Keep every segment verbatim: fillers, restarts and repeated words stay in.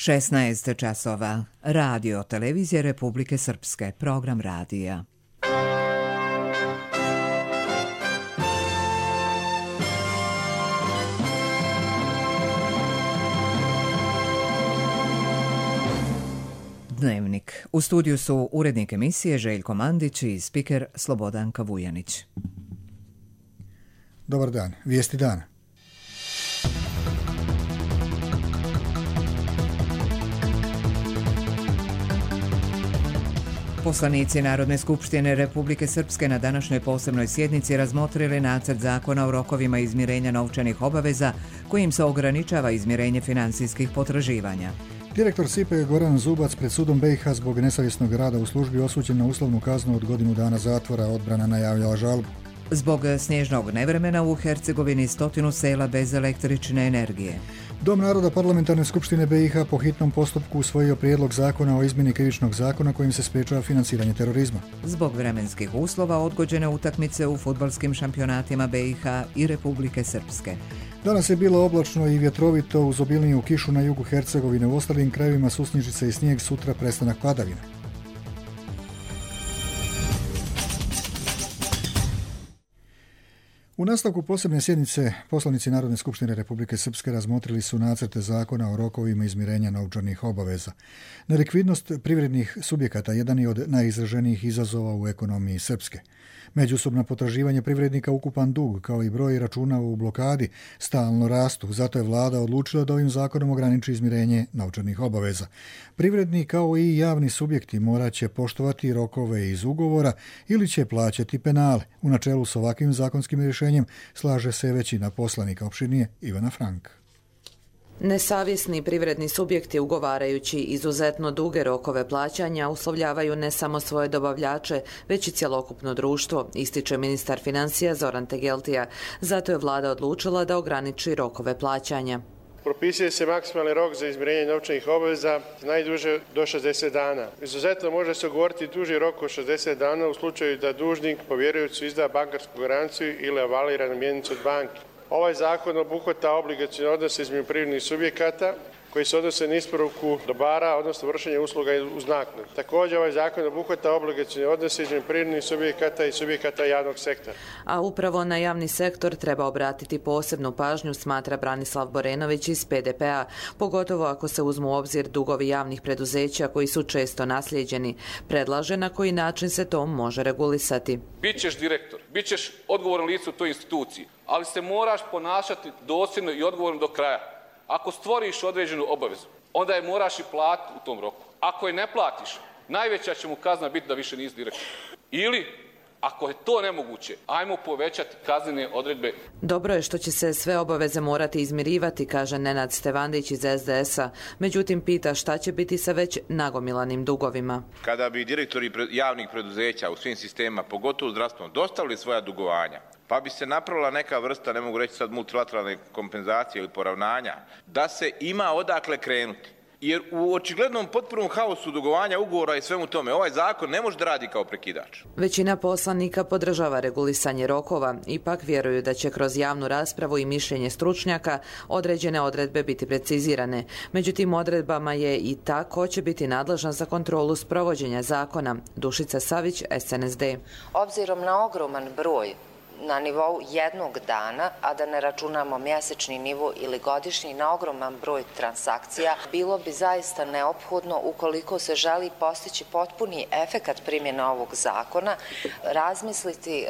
šesnaest časova. Radio Televizije Republike Srpske. Program radija. Dnevnik. U studiju su urednik emisije Željko Mandić i spiker Slobodanka Vujanić. Dobar dan. Vijesti dana. Poslanici Narodne skupštine Republike Srpske na današnjoj posebnoj sjednici razmotrili nacrt zakona o rokovima izmirenja novčanih obaveza kojim se ograničava izmirenje finansijskih potraživanja. Direktor S I P E Goran Zubac pred sudom B i H zbog nesavjesnog rada u službi osuđen na uslovnu kaznu od godinu dana zatvora. Odbrana najavljala žalbu. Zbog snježnog nevremena u Hercegovini stotinu sela bez električne energije. Dom naroda Parlamentarne skupštine B i H po hitnom postupku usvojio prijedlog zakona o izmjeni krivičnog zakona kojim se sprečava financiranje terorizma. Zbog vremenskih uslova odgođene utakmice u fudbalskim šampionatima B i H i Republike Srpske. Danas je bilo oblačno i vjetrovito uz obilniju kišu na jugu Hercegovine. U ostalim krajevima susnjižice i snijeg, sutra prestanak padavina. U nastavku posebne sjednice poslanici Narodne skupštine Republike Srpske razmotrili su nacrte zakona o rokovima izmirenja novčanih obaveza. Nelikvidnost privrednih subjekata jedan je od najizraženijih izazova u ekonomiji Srpske. Međusobna potraživanja privrednika, ukupan dug kao i broj računa u blokadi stalno rastu, zato je vlada odlučila da ovim zakonom ograniči izmirenje novčanih obaveza. Privredni kao i javni subjekti morat će poštovati rokove iz ugovora ili će plaćati penale. U načelu s ovakvim zakonskim rješenjem slaže se većina poslanika opštinije Ivana Frank. Nesavjesni privredni subjekti ugovarajući izuzetno duge rokove plaćanja uslovljavaju ne samo svoje dobavljače, već i cjelokupno društvo, ističe ministar financija Zoran Tegeltija. Zato je vlada odlučila da ograniči rokove plaćanja. Propisuje se maksimalni rok za izmirenje novčanih obaveza najduže do šezdeset dana. Izuzetno može se ugovoriti duži rok od šezdeset dana u slučaju da dužnik povjerujući izda bankarsku garanciju ili avalira na mjenicu od banke. Ovaj zakon obuhvata obligacione odnose između privrednih subjekata koji se odnose na isporuku dobara, odnosno vršenje usluga uz naknadu. Također ovaj zakon obuhvata obligacione odnose između privrednih subjekata i subjekata javnog sektora. A upravo na javni sektor treba obratiti posebnu pažnju, smatra Branislav Borenović iz P D P-a, pogotovo ako se uzmu u obzir dugovi javnih preduzeća koji su često naslijeđeni. Predlaže na koji način se to može regulisati. Bićeš direktor, bićeš odgovoran lice u toj instituciji, ali se moraš ponašati dosljedno i odgovorno do kraja. Ako stvoriš određenu obavezu, onda je moraš i platiti u tom roku. Ako je ne platiš, najveća će mu kazna biti da više nisi direktor. Ili, ako je to nemoguće, ajmo povećati kaznene odredbe. Dobro je što će se sve obaveze morati izmirivati, kaže Nenad Stevandić iz S D S-a. Međutim, pita šta će biti sa već nagomilanim dugovima. Kada bi direktori javnih preduzeća u svim sistemima, pogotovo zdravstvenom, dostavili svoja dugovanja, pa bi se napravila neka vrsta, ne mogu reći sad multilateralne kompenzacije ili poravnanja, da se ima odakle krenuti. Jer u očiglednom potpunom haosu dugovanja ugovora i svemu tome, ovaj zakon ne može da radi kao prekidač. Većina poslanika podržava regulisanje rokova, ipak vjeruju da će kroz javnu raspravu i mišljenje stručnjaka određene odredbe biti precizirane. Među tim odredbama je i ta ko će biti nadležan za kontrolu sprovođenja zakona. Dušica Savić, S N S D. Obzirom na ogroman broj na nivou jednog dana, a da ne računamo mjesečni nivo ili godišnji, na ogroman broj transakcija, bilo bi zaista neophodno, ukoliko se želi postići potpuni efekat primjene ovog zakona, razmisliti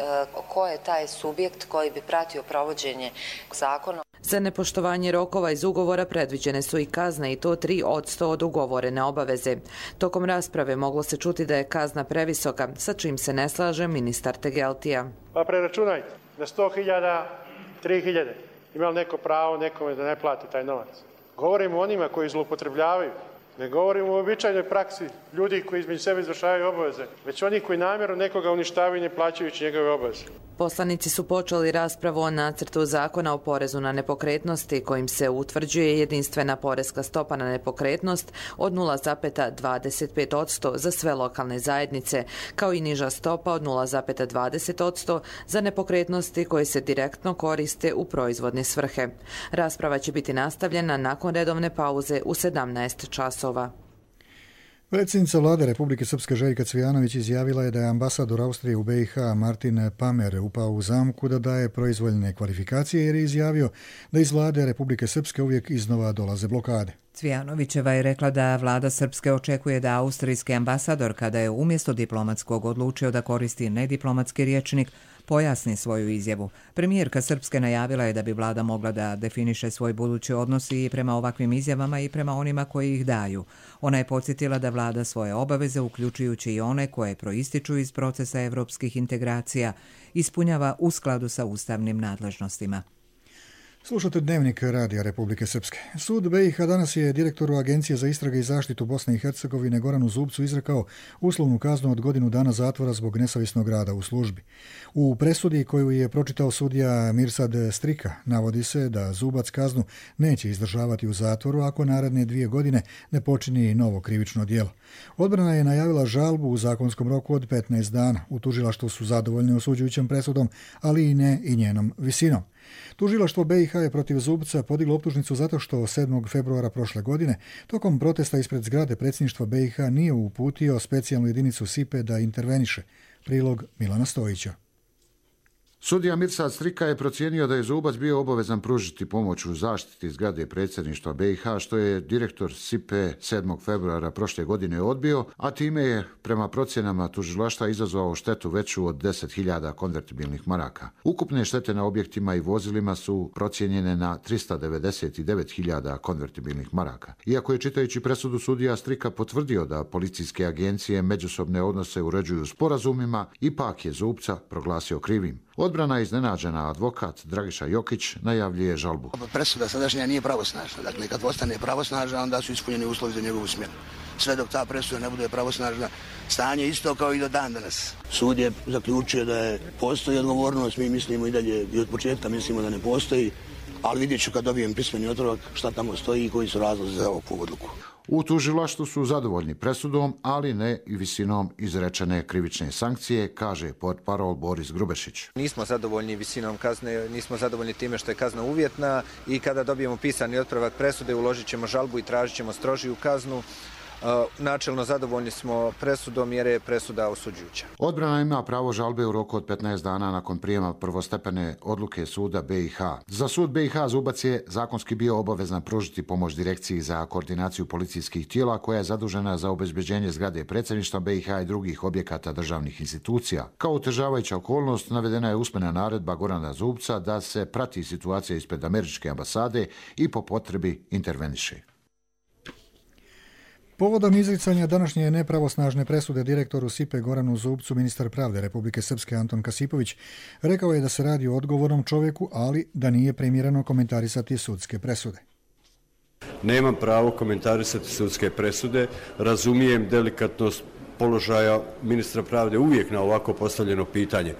ko je taj subjekt koji bi pratio provođenje zakona. Za nepoštovanje rokova iz ugovora predviđene su i kazne, i to tri od sto od ugovorene obaveze. Tokom rasprave moglo se čuti da je kazna previsoka, sa čim se ne slaže ministar Tegeltija. Pa preračunajte, na sto hiljada, tri hiljade. Ima li neko pravo nekome da ne plati taj novac? Govorimo o onima koji zloupotrebljavaju. Ne govorimo o običajnoj praksi ljudi koji između sebe izvršavaju obaveze, već oni koji namjerno nekoga uništavaju ne plaćajući njegove obaveze. Poslanici su počeli raspravu o nacrtu zakona o porezu na nepokretnosti kojim se utvrđuje jedinstvena poreska stopa na nepokretnost od nula zarez dvadeset pet posto za sve lokalne zajednice, kao i niža stopa od nula zarez dvadeset posto za nepokretnosti koje se direktno koriste u proizvodne svrhe. Rasprava će biti nastavljena nakon redovne pauze u sedamnaest časova. Predsjednica vlade Republike Srpske Željka Cvijanović izjavila je da je ambasador Austrije u B i H Martin Pamer upao u zamku da daje proizvoljne kvalifikacije jer je izjavio da iz vlade Republike Srpske uvijek iznova dolaze blokade. Cvijanovićeva je rekla da vlada Srpske očekuje da austrijski ambasador, kada je umjesto diplomatskog odlučio da koristi nediplomatski rječnik, pojasni svoju izjavu. Premijerka Srpske najavila je da bi vlada mogla da definiše svoj budući odnos i prema ovakvim izjavama i prema onima koji ih daju. Ona je podsjetila da vlada svoje obaveze, uključujući i one koje proističu iz procesa evropskih integracija, ispunjava u skladu sa ustavnim nadležnostima. Slušate Dnevnik Radija Republike Srpske. Sud B i H danas je direktoru Agencije za istrage i zaštitu Bosne i Hercegovine Goranu Zubcu izrekao uslovnu kaznu od godinu dana zatvora zbog nesavjesnog rada u službi. U presudi koju je pročitao sudija Mirsad Strika navodi se da Zubac kaznu neće izdržavati u zatvoru ako naredne dvije godine ne počini novo krivično djelo. Odbrana je najavila žalbu u zakonskom roku od petnaest dana. U tužilaštvu su zadovoljni osuđujućom presudom, ali i ne i njenom visinom. Tužilaštvo B i H je protiv Zubca podiglo optužnicu zato što sedmog februara prošle godine tokom protesta ispred zgrade predsjedništva B i H nije uputio specijalnu jedinicu S I P E da interveniše. Prilog Milana Stojića. Sudija Mirsad Strika je procijenio da je Zubac bio obavezan pružiti pomoć u zaštiti zgrade predsjedništva B i H, što je direktor S I P E sedmog februara prošle godine odbio, a time je prema procjenama tužilaštva izazvao štetu veću od deset hiljada konvertibilnih maraka. Ukupne štete na objektima i vozilima su procijenjene na trista devedeset devet hiljada konvertibilnih maraka. Iako je čitajući presudu sudija Strika potvrdio da policijske agencije međusobne odnose uređuju sporazumima, ipak je Zubca proglasio krivim. Odbrana iznenađena advokat Dragiša Jokić najavljuje žalbu. Presuda sadašnja nije pravosnažna. Dakle, kad postane pravosnažna, onda su ispunjeni uslovi za njegovu smjenu. Sve dok ta presuda ne bude pravosnažna, stanje isto kao i do dan danas. Sud je zaključio da je postoji odgovornost, mi mislimo i dalje i od početka mislimo da ne postoji, ali vidjet ću kad dobijem pismeni otvorak šta tamo stoji i koji su razlozi za ovakvu odluku. U tužilaštvu su zadovoljni presudom, ali ne i visinom izrečene krivične sankcije, kaže portparol Boris Grubešić. Nismo zadovoljni visinom kazne, nismo zadovoljni time što je kazna uvjetna i kada dobijemo pisani otpravak presude uložit ćemo žalbu i tražit ćemo strožiju kaznu. Načelno zadovoljni smo presudom jer je presuda osuđujuća. Odbrana ima pravo žalbe u roku od petnaest dana nakon prijema prvostepene odluke suda B i H. Za sud B i H Zubac je zakonski bio obavezan pružiti pomoć direkciji za koordinaciju policijskih tijela koja je zadužena za obezbeđenje zgrade predsjedništva B i H i drugih objekata državnih institucija. Kao otežavajuća okolnost navedena je usmena naredba Gorana Zubca da se prati situacija ispred američke ambasade i po potrebi interveniše. Povodom izricanja današnje nepravosnažne presude direktoru S I P E Goranu Zubcu, ministar pravde Republike Srpske Anton Kasipović rekao je da se radi o odgovornom čovjeku, ali da nije primjereno komentarisati sudske presude. Nemam pravo komentarisati sudske presude, razumijem delikatnost položaja ministra pravde uvijek na ovako postavljeno pitanje,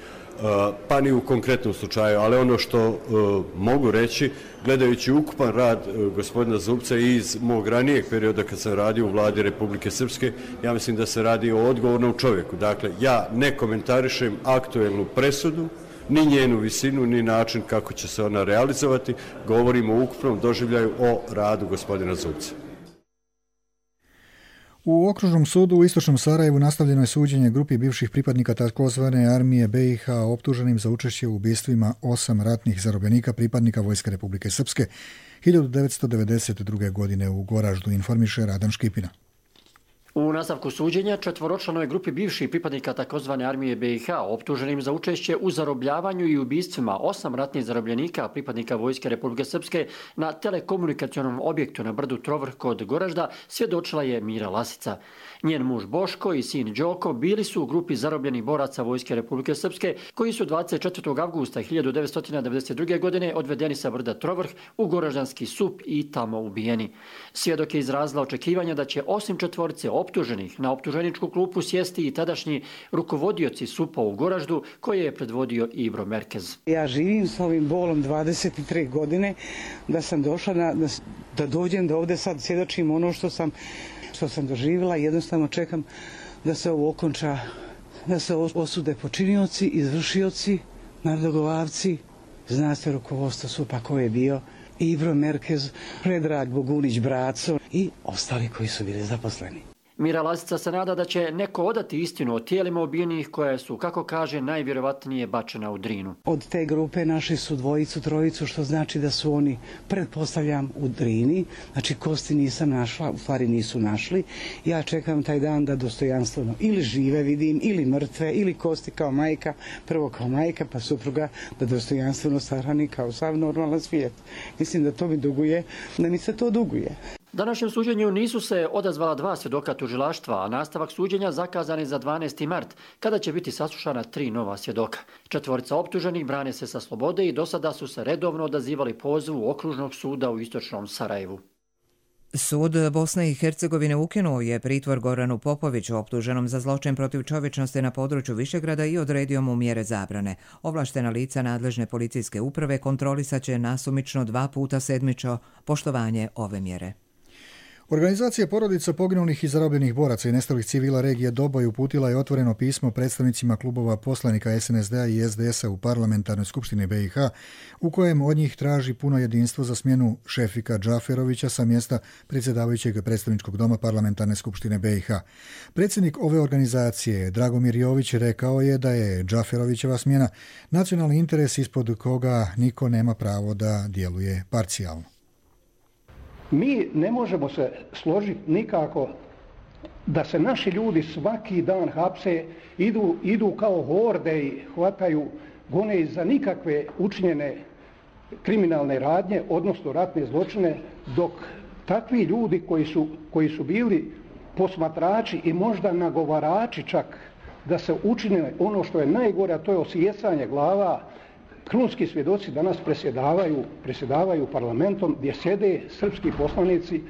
pa ni u konkretnom slučaju, ali ono što uh, mogu reći, gledajući ukupan rad uh, gospodina Zubca i iz mog ranijeg perioda kad sam radio u vladi Republike Srpske, ja mislim da se radi o odgovornom čovjeku. Dakle, ja ne komentarišem aktuelnu presudu, ni njenu visinu, ni način kako će se ona realizovati, govorimo o ukupnom doživljaju o radu gospodina Zubca. U okružnom sudu u istočnom Sarajevu nastavljeno je suđenje grupi bivših pripadnika takozvane armije B i H optuženim za učešće u ubistvima osam ratnih zarobljenika pripadnika Vojske Republike Srpske hiljadu devetsto devedeset druge. godine u Goraždu, informiše Radan Škipina. U nastavku suđenja četvoročlanoj grupi bivših pripadnika takozvane armije B i H optuženim za učešće u zarobljavanju i ubistvima osam ratnih zarobljenika pripadnika Vojske Republike Srpske na telekomunikacionom objektu na brdu Trovrh kod Goražda svjedočila je Mira Lasica. Njen muž Boško i sin Đoko bili su u grupi zarobljenih boraca Vojske Republike Srpske koji su dvadeset četvrtog avgusta hiljadu devetsto devedeset druge. godine odvedeni sa brda Trovrh u Goraždanski sup i tamo ubijeni. Svjedok je izrazila očekivanja da će osim četvorice optuženih na optuženičku klupu sjesti i tadašnji rukovodioci S U P-a u Goraždu koje je predvodio Ibro Merkez. Ja živim s ovim bolom dvadeset tri godine, da sam došla na, da, da dođem da ovdje sad svjedočim ono što sam, što sam doživjela i jednostavno čekam da se ovo okonča, da se osude počinioci, izvršioci, nadogovarci, zna se rukovodstvo S U P-a ko je bio, Ibro Merkez, Predrag Bogunić Braco i ostali koji su bili zaposleni. Mira Lazica se nada da će neko odati istinu o tijelima ubijenih koje su, kako kaže, najvjerovatnije bačena u Drinu. Od te grupe našli su dvojicu, trojicu, što znači da su oni, pretpostavljam, u Drini. Znači kosti nisam našla, u stvari nisu našli. Ja čekam taj dan da dostojanstveno ili žive vidim, ili mrtve, ili kosti kao majka, prvo kao majka, pa supruga, da dostojanstveno sahrani kao sav normalan svijet. Mislim da to mi duguje, da mi se to duguje. Današnjem suđenju nisu se odazvala dva svjedoka tužilaštva, a nastavak suđenja zakazan je za dvanaesti mart, kada će biti saslušana tri nova svjedoka. Četvorica optuženih brane se sa slobode i do sada su se redovno odazivali pozivu Okružnog suda u istočnom Sarajevu. Sud Bosne i Hercegovine ukinuo je pritvor Goranu Popoviću, optuženom za zločin protiv čovječnosti na području Višegrada, i odredio mu mjere zabrane. Ovlaštena lica nadležne policijske uprave kontrolisat će nasumično dva puta sedmično poštovanje ove mjere. Organizacija porodica poginulih i zarobljenih boraca i nestalih civila regije Doboj uputila je otvoreno pismo predstavnicima klubova poslanika S N S D-a i S D S-a u parlamentarnoj skupštini B i H, u kojem od njih traži puno jedinstvo za smjenu Šefika Džaferovića sa mjesta predsjedavajućeg predstavničkog doma parlamentarne skupštine B i H. Predsjednik ove organizacije, Dragomir Jović, rekao je da je Džaferovićeva smjena nacionalni interes ispod koga niko nema pravo da djeluje parcijalno. Mi ne možemo se složiti nikako da se naši ljudi svaki dan hapse, idu, idu kao horde i hvataju, gone za nikakve učinjene kriminalne radnje, odnosno ratne zločine, dok takvi ljudi koji su, koji su bili posmatrači i možda nagovarači čak da se učine ono što je najgore, a to je osijecanje glava, krunski svjedoci danas presjedavaju, presjedavaju parlamentom gdje sjede srpski poslanici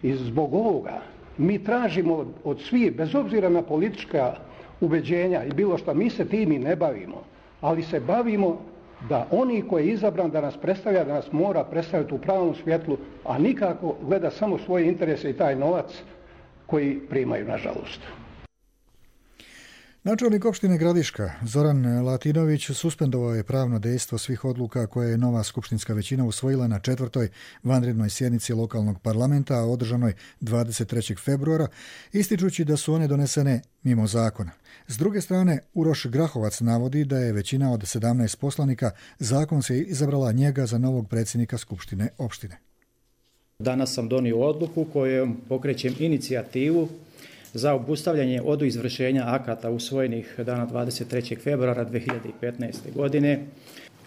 i zbog ovoga mi tražimo od, od svih, bez obzira na politička ubeđenja i bilo što, mi se tim i ne bavimo, ali se bavimo da oni koji je izabran da nas predstavlja, da nas mora predstaviti u pravom svjetlu, a nikako gleda samo svoje interese i taj novac koji primaju, nažalost. Načelnik opštine Gradiška Zoran Latinović suspendovao je pravno dejstvo svih odluka koje je nova skupštinska većina usvojila na četvrtoj vanrednoj sjednici lokalnog parlamenta održanoj dvadeset trećeg februara, ističući da su one donesene mimo zakona. S druge strane, Uroš Grahovac navodi da je većina od sedamnaest poslanika zakonski izabrala njega za novog predsjednika skupštine opštine. Danas sam donio odluku kojom pokrećem inicijativu za obustavljanje od izvršenja akata usvojenih dana dvadeset trećeg februara dvije hiljade petnaeste. godine.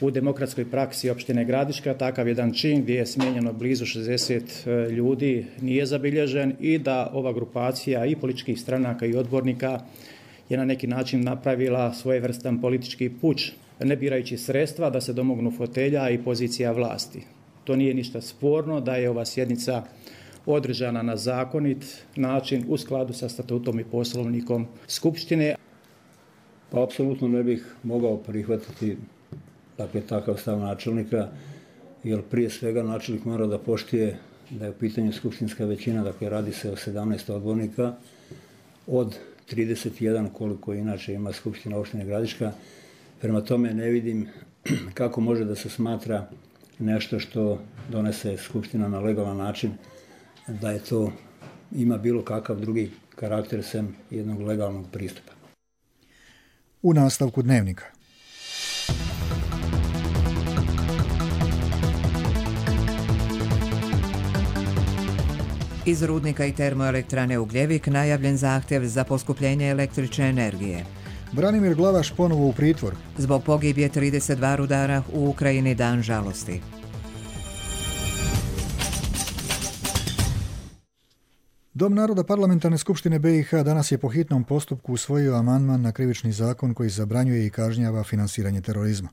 U demokratskoj praksi opštine Gradiška takav jedan čin gdje je smijenjeno blizu šezdeset ljudi nije zabilježen i da ova grupacija i političkih stranaka i odbornika je na neki način napravila svojevrstan politički puč, ne birajući sredstva da se domognu fotelja i pozicija vlasti. To nije ništa sporno da je ova sjednica održana na zakonit način u skladu sa statutom i poslovnikom Skupštine. Pa apsolutno ne bih mogao prihvatiti dakle, takav stav načelnika, jer prije svega načelnik mora da poštuje da je u pitanju skupštinska većina, dakle radi se o sedamnaest odbornika od trideset jedan koliko inače ima Skupština opštine Gradiška. Prema tome ne vidim kako može da se smatra nešto što donese Skupština na legalan način, da je to ima bilo kakav drugi karakter sem jednog legalnog pristupa. U nastavku dnevnika. Iz rudnika i termoelektrane Ugljevik najavljen zahtjev za poskupljenje električne energije. Branimir Glavaš ponovo u pritvor. Zbog pogibije trideset dva rudara u Ukrajini dan žalosti. Dom naroda Parlamentarne skupštine B i H danas je po hitnom postupku usvojio amandman na krivični zakon koji zabranjuje i kažnjava finansiranje terorizma.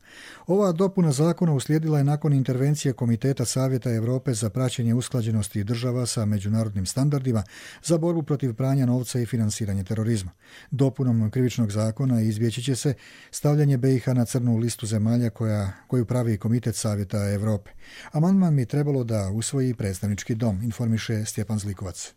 Ova dopuna zakona uslijedila je nakon intervencije Komiteta Savjeta Europe za praćenje usklađenosti država sa međunarodnim standardima za borbu protiv pranja novca i finansiranje terorizma. Dopunom krivičnog zakona izbjeći će se stavljanje B i H na crnu listu zemalja koja, koju pravi Komitet Savjeta Europe. Amandman mi je trebalo da usvoji predstavnički dom, informiše Stjepan Zlikovac.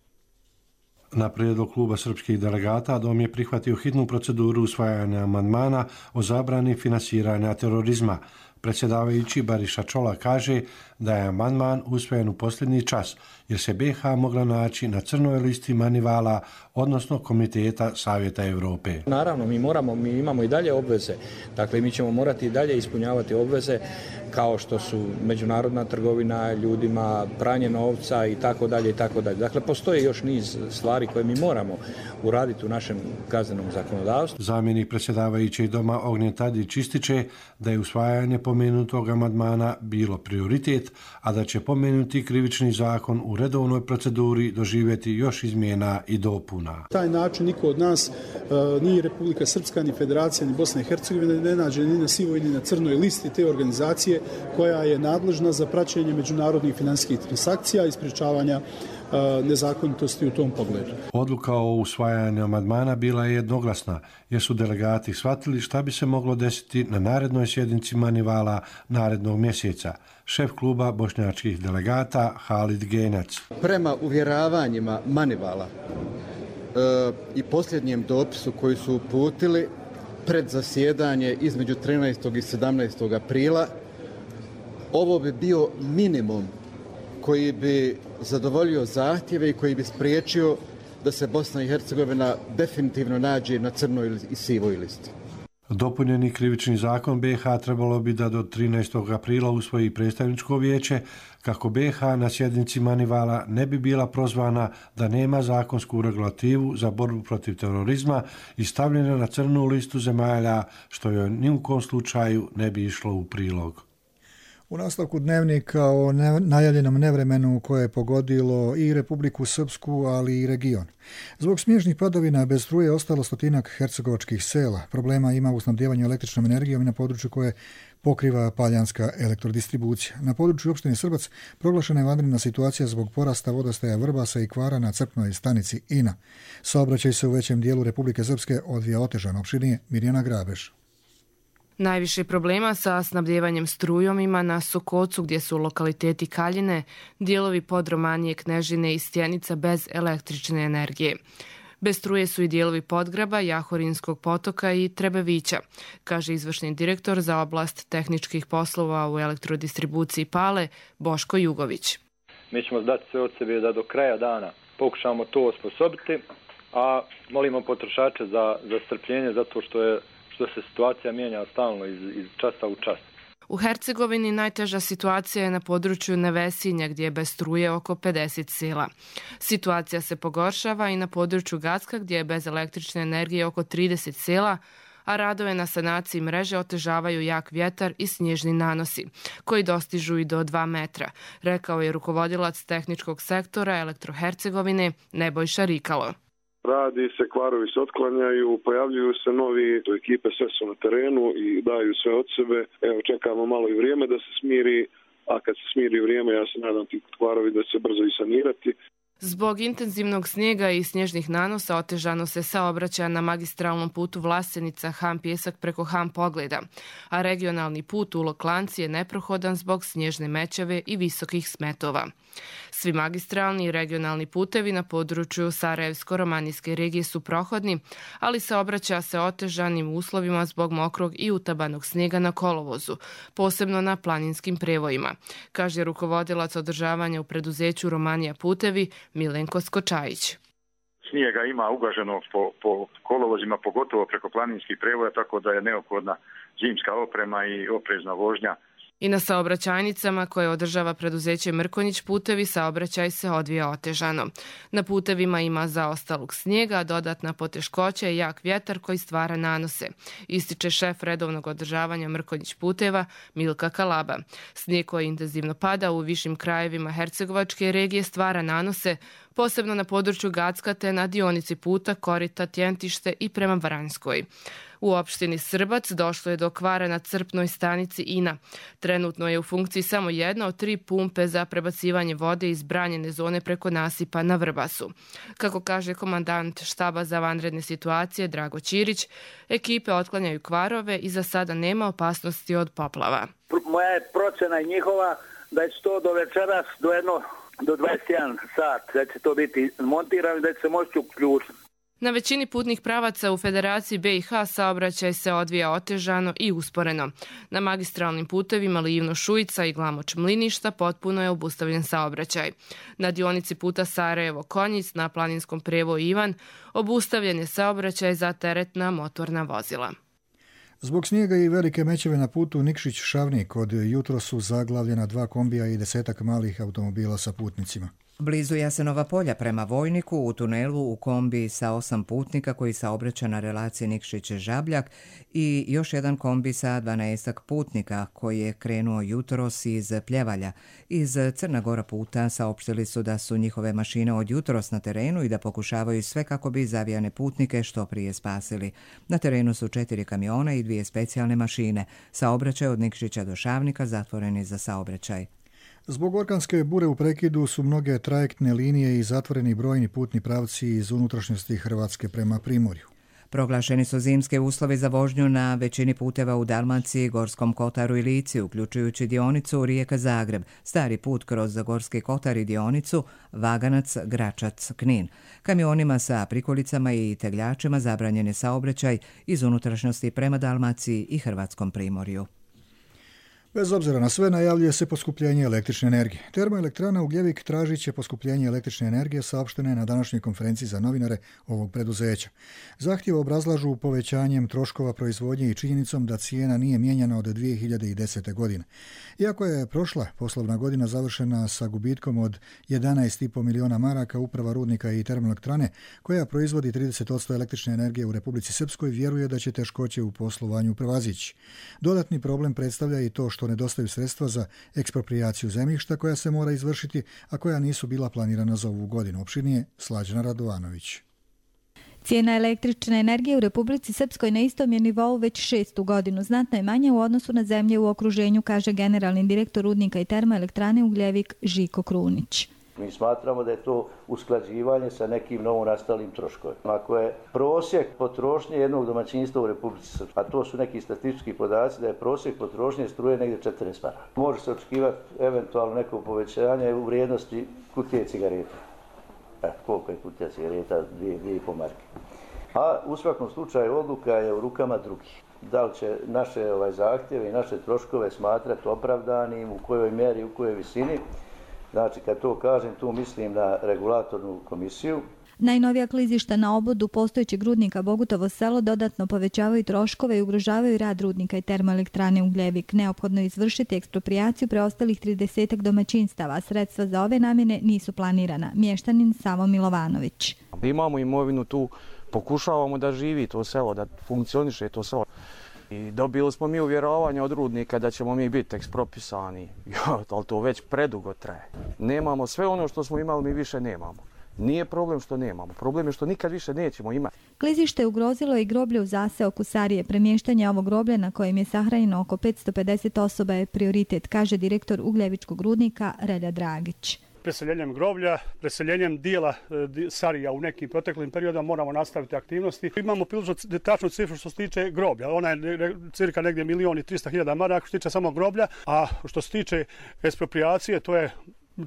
Na prijedlog kluba srpskih delegata Dom je prihvatio hitnu proceduru usvajanja amandmana o zabrani finansiranja terorizma. Predsjedavajući Bariša Čola kaže da je amandman usvojen u posljednji čas jer se B i H mogla naći na crnoj listi Manivala, odnosno Komiteta Savjeta Europe. Naravno, mi moramo, mi imamo i dalje obveze. Dakle, mi ćemo morati i dalje ispunjavati obveze kao što su međunarodna trgovina ljudima, pranje novca i tako dalje i tako dalje. Dakle, postoji još niz stvari koje mi moramo uraditi u našem kaznenom zakonodavstvu. Zamjenik predsjedavajućeg Doma Ognjen Tadić ističe da je usvajanje pomenutog amandmana bilo prioritet, a da će pomenuti krivični zakon u redovnoj proceduri doživjeti još izmjena i dopuna. Taj način niko od nas, ni Republika Srpska, ni Federacija, ni Bosna i Hercegovina ne nađe ni na sivoj, ni na crnoj listi te organizacije koja je nadležna za praćenje međunarodnih finansijskih transakcija i sprječavanja nezakonitosti u tom pogledu. Odluka o usvajanju amandmana bila je jednoglasna, jer su delegati shvatili šta bi se moglo desiti na narednoj sjednici Manivala narednog mjeseca. Šef kluba bošnjačkih delegata Halid Genac. Prema uvjeravanjima Manivala e, i posljednjem dopisu koji su uputili pred zasjedanje između trinaestog i sedamnaestog aprila, ovo bi bio minimum koji bi zadovoljio zahtjeve i koji bi spriječio da se Bosna i Hercegovina definitivno nađe na crnoj i sivoj listi. Dopunjeni krivični zakon B i H trebalo bi da do trinaestog aprila usvoji predstavničko vijeće kako B i H na sjednici Manivala ne bi bila prozvana da nema zakonsku regulativu za borbu protiv terorizma i stavljena na crnu listu zemalja, što joj ni u kom slučaju ne bi išlo u prilog. U nastavku dnevnika o ne, najavljenom nevremenu koje je pogodilo i Republiku Srpsku, ali i region. Zbog snježnih padavina bez struje ostalo stotinak hercegovačkih sela. Problema ima u snabdijevanju električnom energijom i na području koje pokriva Paljanska elektrodistribucija. Na području opštine Srbac proglašena je vanredna situacija zbog porasta vodostaja Vrbasa i kvara na crpnoj stanici Ina. Saobraćaj se u većem dijelu Republike Srpske odvija otežano. Opširnije Mirjana Grabeš. Najviše problema sa snabdjevanjem strujom ima na Sokocu gdje su lokaliteti Kaljine, dijelovi Podromanije, Knežine i Stjenica bez električne energije. Bez struje su i dijelovi Podgraba, Jahorinskog potoka i Trebevića, kaže izvršni direktor za oblast tehničkih poslova u elektrodistribuciji Pale, Boško Jugović. Mi ćemo dati sve od sebe da do kraja dana pokušamo to osposobiti, a molimo potrošače za, za strpljenje zato što je što se situacija mijenja stalno iz, iz časa u čas. U Hercegovini najteža situacija je na području Nevesinja gdje je bez struje oko pedeset sela. Situacija se pogoršava i na području Gacka gdje je bez električne energije oko trideset sela, a radove na sanaciji mreže otežavaju jak vjetar i snježni nanosi, koji dostižu i do dva metra, rekao je rukovodilac tehničkog sektora Elektrohercegovine Nebojša Rikalo. Radi se, kvarovi se otklanjaju, pojavljuju se novi, to ekipe sve su na terenu i daju sve od sebe. Evo, čekamo malo i vrijeme da se smiri, a kad se smiri vrijeme, ja se nadam ti kvarovi da će se brzo i sanirati. Zbog intenzivnog snijega i snježnih nanosa otežano se saobraćaja na magistralnom putu Vlasenica Ham Pjesak preko Ham Pogleda, a regionalni put u Loklanci je neprohodan zbog snježne mećave i visokih smetova. Svi magistralni i regionalni putevi na području Sarajevsko-romanijske regije su prohodni, ali saobraćaja se otežanim uslovima zbog mokrog i utabanog snijega na kolovozu, posebno na planinskim prevojima, kaže rukovodilac održavanja u preduzeću Romanija putevi Milenko Skočajić. Snijega ima ugaženo po, po kolovozima, pogotovo preko planinskih prevoja, tako da je neophodna zimska oprema i oprezna vožnja I na saobraćajnicama koje održava preduzeće Mrkonjić putevi saobraćaj se odvija otežano. Na putevima ima zaostalog snijega, dodatna poteškoća i jak vjetar koji stvara nanose, ističe šef redovnog održavanja Mrkonjić puteva Milka Kalaba. Snijeg koji intenzivno pada u višim krajevima Hercegovačke regije stvara nanose, posebno na području Gacka te na dionici puta Korita, Tjentište i prema Vranjskoj. U opštini Srbac došlo je do kvara na crpnoj stanici Ina. Trenutno je u funkciji samo jedna od tri pumpe za prebacivanje vode iz branjene zone preko nasipa na Vrbasu. Kako kaže komandant štaba za vanredne situacije Drago Ćirić, ekipe otklanjaju kvarove i za sada nema opasnosti od poplava. Moja je procena i njihova da će to do večeras, do jedno, do dvadeset jedan sat, da će to biti montirano i da će se moći uključiti. Na većini putnih pravaca u Federaciji B i H saobraćaj se odvija otežano i usporeno. Na magistralnim putevima Livno-Šujica i Glamoč-Mliništa potpuno je obustavljen saobraćaj. Na dionici puta Sarajevo-Konjic na planinskom prevoju Ivan obustavljen je saobraćaj za teretna motorna vozila. Zbog snijega i velike mećave na putu Nikšić-Šavnik od jutro su zaglavljena dva kombija i desetak malih automobila sa putnicima. Blizu Jasenova polja prema Vojniku u tunelu u kombi sa osam putnika koji saobraća na relaciji Nikšić-Žabljak i još jedan kombi sa dvanaestak putnika koji je krenuo jutros iz Pljevalja. Iz Crna Gora puta saopštili su da su njihove mašine od jutros na terenu i da pokušavaju sve kako bi zavijane putnike što prije spasili. Na terenu su četiri kamiona i dvije specijalne mašine. Saobraćaj od Nikšića do Šavnika zatvoreni za saobraćaj. Zbog orkanske bure u prekidu su mnoge trajektne linije i zatvoreni brojni putni pravci iz unutrašnjosti Hrvatske prema Primorju. Proglašeni su zimske uslovi za vožnju na većini puteva u Dalmaciji, Gorskom Kotaru i Lici, uključujući dionicu Rijeka-Zagreb, stari put kroz Gorski Kotar i dionicu Vaganac-Gračac-Knin. Kamionima sa prikolicama i tegljačima zabranjen je saobraćaj iz unutrašnjosti prema Dalmaciji i Hrvatskom Primorju. Bez obzira na sve, najavljuje se poskupljenje električne energije. Termoelektrana Ugljevik tražit će poskupljenje električne energije, saopštene na današnjoj konferenciji za novinare ovog preduzeća. Zahtjev obrazlažu povećanjem troškova proizvodnje i činjenicom da cijena nije mijenjana od dvije hiljade desete. godine. Iako je prošla poslovna godina završena sa gubitkom od jedanaest zarez pet miliona maraka, uprava rudnika i termoelektrane, koja proizvodi trideset posto električne energije u Republici Srpskoj, vjeruje da će teškoće u poslovanju prevazići. Dodatni problem predstavlja i to što što nedostaju sredstva za eksproprijaciju zemljišta koja se mora izvršiti, a koja nisu bila planirana za ovu godinu. Opširnije Slađana Radovanović. Cijena električne energije u Republici Srpskoj na istom je nivou već šestu godinu. Znatno je manje u odnosu na zemlje u okruženju, kaže generalni direktor rudnika i termoelektrane Ugljevik Žiko Krunić. Mi smatramo da je to usklađivanje sa nekim novonastalim troškovima. Ako je prosjek potrošnje jednog domaćinstva u Republici Srpskoj, a to su neki statistički podaci, da je prosjek potrošnje struje negdje četrnaest maraka. Može se očekivati eventualno neko povećanje u vrijednosti kutije cigareta. E, koliko je kutija cigareta? Dvije, dvije i pol marke. A u svakom slučaju odluka je u rukama drugih. Da li će naše ovaj, zahtjeve i naše troškove smatrati opravdanim, u kojoj mjeri, u kojoj visini. Znači, kad to kažem, tu mislim na regulatornu komisiju. Najnovija klizišta na obodu postojećeg rudnika Bogutovo selo dodatno povećavaju troškove i ugrožavaju rad rudnika i termoelektrane Ugljevik. Neophodno je izvršiti eksproprijaciju preostalih tridesetak domaćinstava. Sredstva za ove namjene nisu planirana. Mještanin Savo Milovanović. Imamo imovinu tu, pokušavamo da živi to selo, da funkcioniše to selo. I dobili smo mi uvjerovanje od rudnika da ćemo mi biti ekspropisani, ali to već predugo traje. Nemamo sve ono što smo imali, mi više nemamo. Nije problem što nemamo, problem je što nikad više nećemo imati. Klizište ugrozilo i groblje u zaseoku Sarije. Premještanje ovog groblja na kojem je sahranjeno oko petsto pedeset osoba je prioritet, kaže direktor Ugljevičkog rudnika Relja Dragić. Preseljenjem groblja, preseljenjem dijela Sarija u nekim proteklim periodima moramo nastaviti aktivnosti. Imamo prilično tačnu cifru što se tiče groblja. Ona je cirka negdje milijon i trista hiljada maraka što se tiče samog groblja, a što se tiče eksproprijacije, to je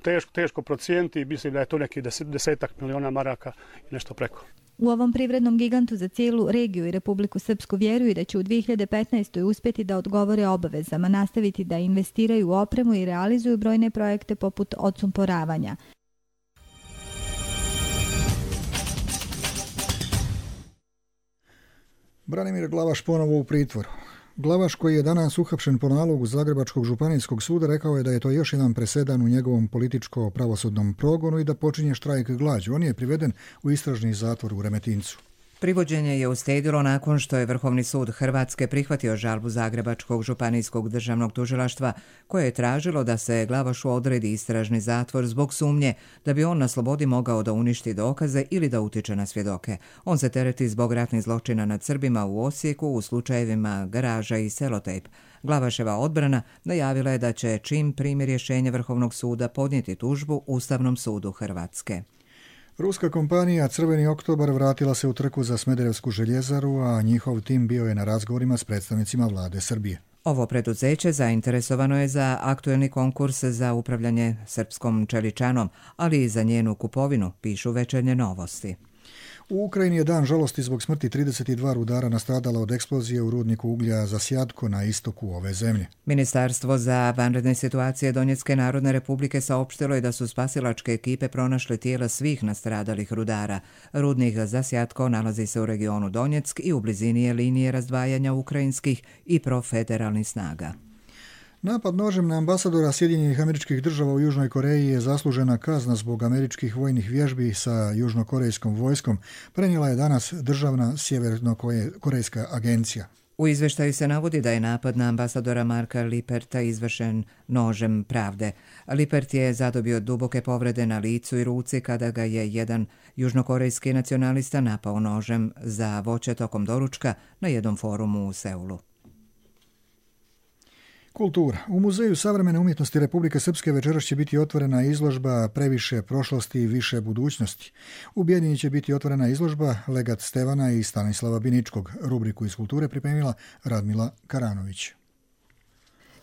teško, teško procijeniti i mislim da je to neki deset, desetak miliona maraka i nešto preko. U ovom privrednom gigantu za cijelu regiju i Republiku Srpsku vjeruju da će u dvije hiljade petnaestoj. uspjeti da odgovore obavezama, nastaviti da investiraju u opremu i realizuju brojne projekte poput odsumporavanja. Branimir Glavaš ponovo u pritvoru. Glavaš, koji je danas uhapšen po nalogu Zagrebačkog županijskog suda, rekao je da je to još jedan presedan u njegovom političko-pravosudnom progonu i da počinje štrajk glađu. On je priveden u istražni zatvor u Remetincu. Privođenje je uslijedilo nakon što je Vrhovni sud Hrvatske prihvatio žalbu Zagrebačkog županijskog državnog tužilaštva koje je tražilo da se Glavašu odredi istražni zatvor zbog sumnje da bi on na slobodi mogao da uništi dokaze ili da utiče na svjedoke. On se tereti zbog ratnih zločina nad Srbima u Osijeku u slučajevima Garaža i Selotejp. Glavaševa odbrana najavila je da će čim primi rješenje Vrhovnog suda podnijeti tužbu Ustavnom sudu Hrvatske. Ruska kompanija Crveni oktobar vratila se u trku za Smederevsku željezaru, a njihov tim bio je na razgovorima s predstavnicima vlade Srbije. Ovo preduzeće zainteresovano je za aktuelni konkurs za upravljanje srpskom čeličanom, ali i za njenu kupovinu, pišu Večernje novosti. U Ukrajini je dan žalosti zbog smrti trideset dva rudara nastradala od eksplozije u rudniku uglja Zasjadko na istoku ove zemlje. Ministarstvo za vanredne situacije Donjecke narodne republike saopštilo je da su spasilačke ekipe pronašle tijela svih nastradalih rudara. Rudnik Zasjadko nalazi se u regionu Donjeck i u blizini je linije razdvajanja ukrajinskih i profederalnih snaga. Napad nožem na ambasadora Sjedinjenih Američkih Država u Južnoj Koreji je zaslužena kazna zbog američkih vojnih vježbi sa južnokorejskom vojskom, prenijela je danas državna sjevernokorejska agencija. U izveštaju se navodi da je napad na ambasadora Marka Liperta izvršen nožem pravde. Lipert je zadobio duboke povrede na licu i ruci kada ga je jedan južnokorejski nacionalista napao nožem za voće tokom doručka na jednom forumu u Seulu. Kultura. U Muzeju savremene umjetnosti Republike Srpske večeras će biti otvorena izložba Previše prošlosti i više budućnosti. U Bijeljini će biti otvorena izložba Legat Stevana i Stanislava Biničkog. Rubriku iz kulture pripremila Radmila Karanović.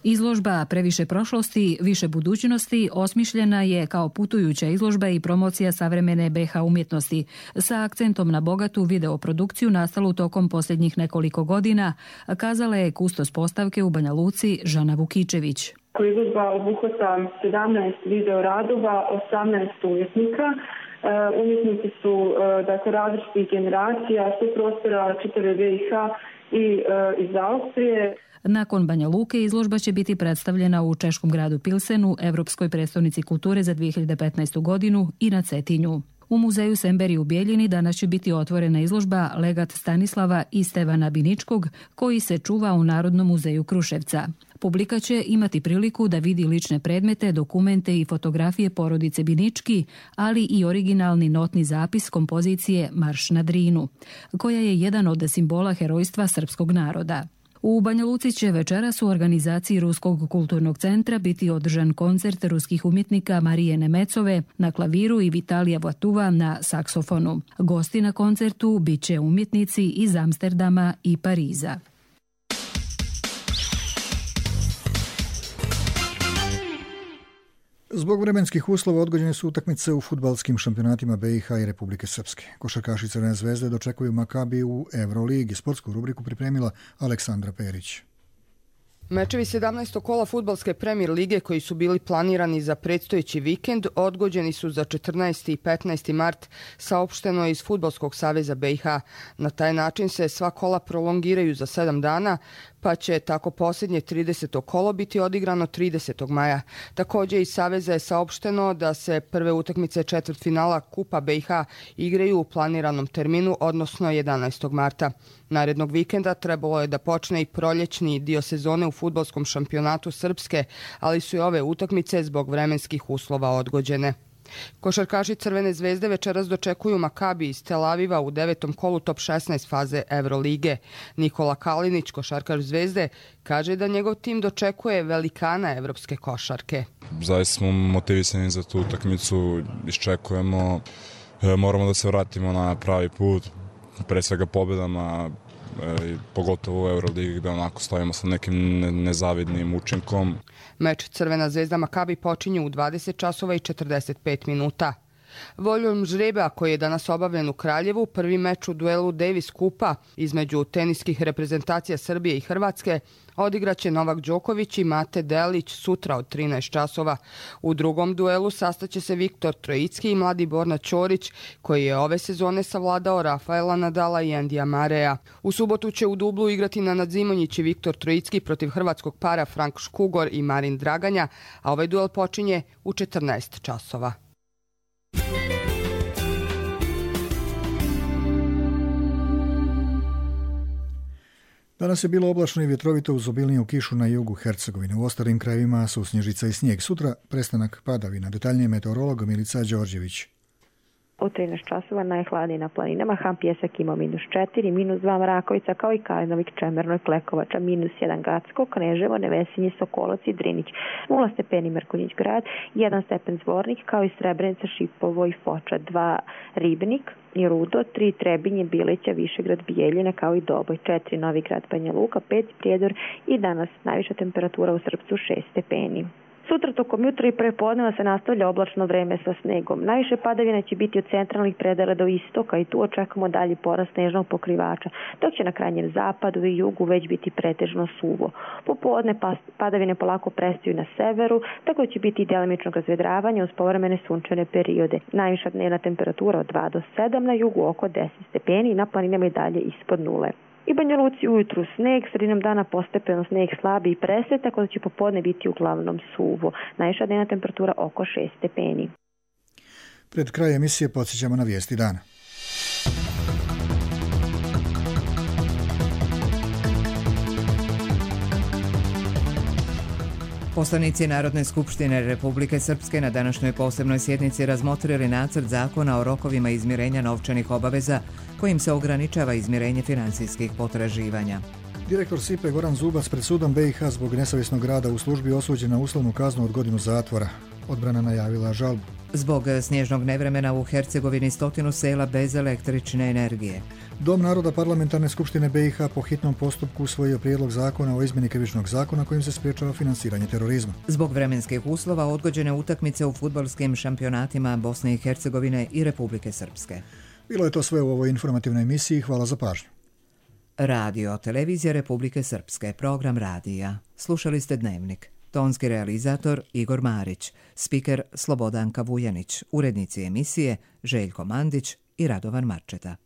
Izložba Previše prošlosti, više budućnosti osmišljena je kao putujuća izložba i promocija savremene be ha umjetnosti sa akcentom na bogatu videoprodukciju nastalu tokom posljednjih nekoliko godina, kazala je kustos postavke u Banja Luci Žana Vukičević. Izložba obuhvata sedamnaest video radova, osamnaest umjetnika. Umjetnici su dakle, različitih generacija, su prostora čitave be i ha i iz Austrije. Nakon Banja Luke izložba će biti predstavljena u češkom gradu Pilsenu, Evropskoj prestolnici kulture za dvije hiljade petnaestu godinu i na Cetinju. U muzeju Semberi u Bijeljini danas će biti otvorena izložba Legat Stanislava i Stevana Biničkog, koji se čuva u Narodnom muzeju Kruševca. Publika će imati priliku da vidi lične predmete, dokumente i fotografije porodice Binički, ali i originalni notni zapis kompozicije Marš na Drinu, koja je jedan od simbola herojstva srpskog naroda. U Banja Luci će večeras u organizaciji Ruskog kulturnog centra biti održan koncert ruskih umjetnika Marije Nemecove na klaviru i Vitalija Vatuva na saksofonu. Gosti na koncertu bit će umjetnici iz Amsterdama i Pariza. Zbog vremenskih uslova odgođene su utakmice u fudbalskim šampionatima be i ha i Republike Srpske. Košarkaši Crvene zvezde dočekuju Makabi u Euroligi. Sportsku rubriku pripremila Aleksandra Perić. Mečevi sedamnaestog kola fudbalske Premier lige koji su bili planirani za predstojeći vikend odgođeni su za četrnaesti i petnaesti mart, saopšteno je iz Fudbalskog saveza be i ha. Na taj način se sva kola prolongiraju za sedam dana, pa će tako posljednje trideseto kolo biti odigrano tridesetog maja. Također iz Saveza je saopšteno da se prve utakmice četvrtfinala Kupa be i ha igraju u planiranom terminu, odnosno jedanaestog marta. Narednog vikenda trebalo je da počne i proljećni dio sezone u fudbalskom šampionatu Srpske, ali su i ove utakmice zbog vremenskih uslova odgođene. Košarkaši Crvene zvezde večeras dočekuju Makabi iz Tel Aviva u devetom kolu top šesnaest faze Eurolige. Nikola Kalinić, košarkaš Zvezde, kaže da njegov tim dočekuje velikana evropske košarke. Zaista smo motivisani za tu utakmicu, iščekujemo, moramo da se vratimo na pravi put, pre svega pobjedama, pogotovo u Euroligi gde onako stojimo sa nekim nezavidnim učinkom. Meč Crvena zvezda Makabi počinje u dvadeset časova i četrdeset pet minuta. Voljom žreba koji je danas obavljen u Kraljevu, prvi meč u duelu Davis Kupa između teniskih reprezentacija Srbije i Hrvatske odigraće Novak Đoković i Mate Delić sutra od trinaest časova. U drugom duelu sastaće se Viktor Trojicki i mladi Borna Ćorić, koji je ove sezone savladao Rafaela Nadala i Endija Mareja. U subotu će u dublu igrati Nenad Zimonjić i Viktor Trojicki protiv hrvatskog para Frank Škugor i Marin Draganja, a ovaj duel počinje u četrnaest časova. Danas je bilo oblačno i vjetrovito uz obilniju kišu na jugu Hercegovine. U ostalim krajevima su snježica i snijeg. Sutra prestanak padavina. Detaljnije meteorolog Milica Đorđević. U trinaest časova najhladnije na planinama. Ham Pjesak ima minus četiri, minus dva Mrakovica, kao i Kalinovik, Čemerno i Klekovača, minus jedan Gacko, Kneževo, Nevesinje, Sokolac i Drinić, nula stepeni Mrkonjić grad, jedan stepen Zvornik, kao i Srebrenica, Šipovo i Foča, dva Ribnik i Rudo, tri Trebinje, Bileća, Višegrad, Bijeljina, kao i Doboj, četiri Novi Grad, Banja Luka, pet Prijedor i danas najviša temperatura u Srpcu šest stepeni. Sutra tokom jutra i prepodneva se nastavlja oblačno vreme sa snegom. Najviše padavina će biti od centralnih predela do istoka i tu očekujemo dalji porast snežnog pokrivača, dok će na krajnjem zapadu i jugu već biti pretežno suvo. Popodne padavine polako prestaju na severu, tako će biti i delimično razvedravanje uz povremene sunčane periode. Najviša dnevna temperatura od dva do sedam, na jugu oko deset stepeni i na planinama i dalje ispod nule. I Banja Luci ujutru sneg, sredinom dana postepeno sneg slabi i presve, tako da će popodne biti uglavnom suvo. Najviša dnevna temperatura oko šest stepeni. Pred kraj emisije podsjećamo na vijesti dana. Poslanici Narodne skupštine Republike Srpske na današnjoj posebnoj sjednici razmotrili nacrt zakona o rokovima izmirenja novčanih obaveza kojim se ograničava izmirenje financijskih potraživanja. Direktor S I P E Goran Zubac pred sudom B i H zbog nesavjesnog rada u službi osuđen na uslovnu kaznu od godinu zatvora. Odbrana najavila žalbu. Zbog snježnog nevremena u Hercegovini stotinu sela bez električne energije. Dom naroda Parlamentarne skupštine B i H po hitnom postupku usvojio prijedlog zakona o izmjeni krivičnog zakona kojim se sprječava financiranje terorizma. Zbog vremenskih uslova odgođene utakmice u fudbalskim šampionatima Bosne i Hercegovine i Republike Srpske. Bilo je to sve u ovoj informativnoj emisiji. Hvala za pažnju. Radio, televizija Republike Srpske, program radija. Slušali ste Dnevnik. Tonski realizator Igor Marić, spiker Slobodanka Vujanić, urednici emisije Željko Mandić i Radovan Marčeta.